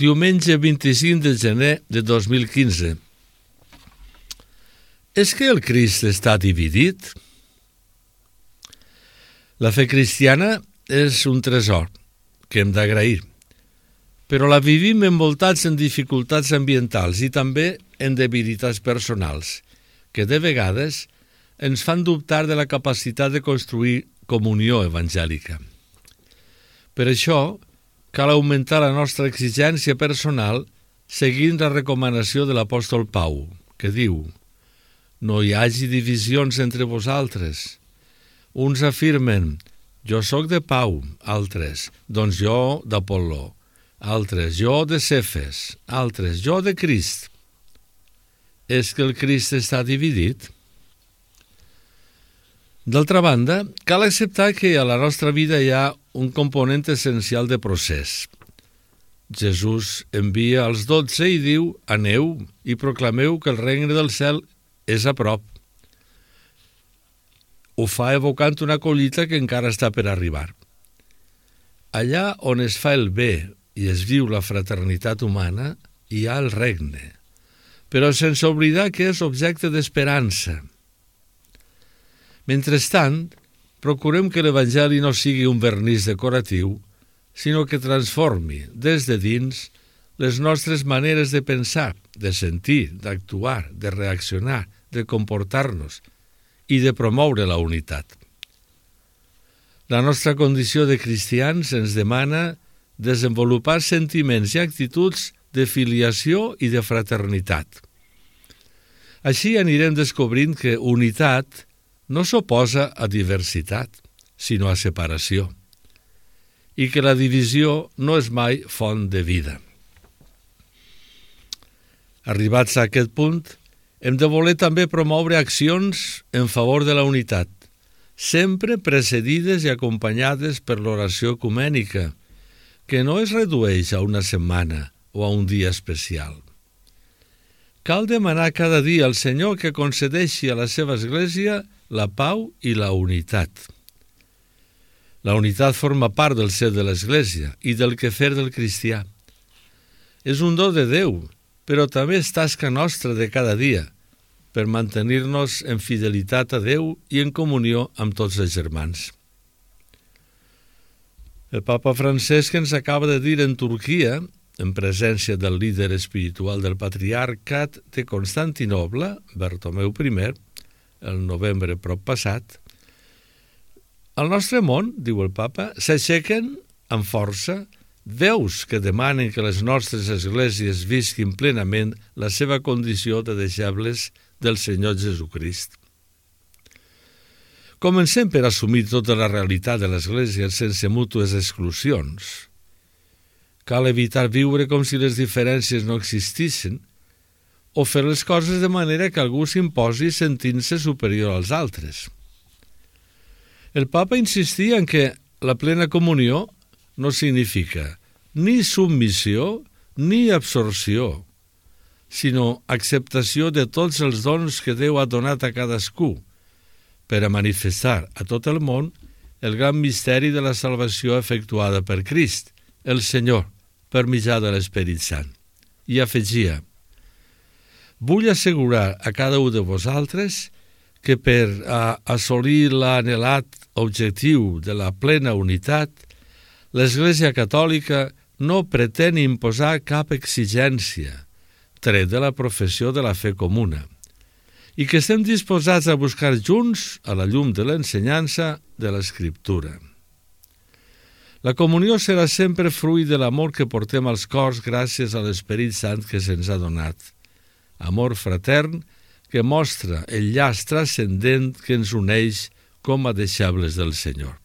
Diumenge 25 de gener de 2015. És que el Crist està dividit? La fe cristiana és un tresor que hem d'agrair, però la vivim envoltats en dificultats ambientals i també en debilitats personals, que de vegades ens fan dubtar de la capacitat de construir comunió evangèlica. Per això, cal augmentar la nostra exigència personal seguint la recomanació de l'apòstol Pau, que diu: «No hi hagi divisions entre vosaltres. Uns afirmen, jo sóc de Pau, altres, doncs jo d'Apol·ló, altres, jo de Cefes, altres, jo de Crist». És que el Crist està dividit? D'altra banda, cal acceptar que a la nostra vida hi ha un component essencial de procés. Jesús envia els 12 i diu: «Aneu i proclameu que el regne del cel és a prop». Ho fa evocant una collita que encara està per arribar. Allà on es fa el bé i es viu la fraternitat humana, hi ha el regne, però sense oblidar que és objecte d'esperança. Mentrestant, procurem que l'Evangeli no sigui un vernís decoratiu, sinó que transformi, des de dins, les nostres maneres de pensar, de sentir, d'actuar, de reaccionar, de comportar-nos i de promoure la unitat. La nostra condició de cristians ens demana desenvolupar sentiments i actituds de filiació i de fraternitat. Així anirem descobrint que unitat no s'oposa a diversitat, sinó a separació, i que la divisió no és mai font de vida. Arribats a aquest punt, hem de voler també promoure accions en favor de la unitat, sempre precedides i acompanyades per l'oració ecumènica, que no es redueix a una setmana o a un dia especial. Cal demanar cada dia al Senyor que concedeixi a la seva Església la pau i la unitat. La unitat forma part del ser de l'Església i del quefer del cristià. És un do de Déu, però també és tasca nostra de cada dia per mantenir-nos en fidelitat a Déu i en comunió amb tots els germans. El papa Francesc ens acaba de dir en Turquia, en presència del líder espiritual del patriarcat de Constantinoble, Bartomeu I, el novembre prop passat: «Al nostre món, diu el papa, s'aixequen amb força veus que demanen que les nostres esglésies visquin plenament la seva condició de deixebles del Senyor Jesucrist». Comencem per assumir tota la realitat de l'Església sense mútues exclusions. Cal evitar viure com si les diferències no existissin o fer les coses de manera que algú s'imposi sentint-se superior als altres. El papa insistia en que la plena comunió no significa ni submissió ni absorció, sinó acceptació de tots els dons que Déu ha donat a cadascú per a manifestar a tot el món el gran misteri de la salvació efectuada per Crist, el Senyor, per mitjà de l'Esperit Sant. I afegia: «Vull assegurar a cada un de vosaltres que per a assolir l'anhelat objectiu de la plena unitat, l'Església Catòlica no pretén imposar cap exigència, tret de la professió de la fe comuna, i que estem disposats a buscar junts a la llum de l'ensenyança de l'Escriptura. La comunió serà sempre fruit de l'amor que portem als cors gràcies a l'Esperit Sant que se'ns ha donat, amor fratern que mostra el llaç transcendent que ens uneix com a deixebles del Senyor.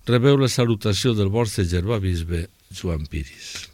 Rebeu la salutació del vostre germà bisbe Joan Piris.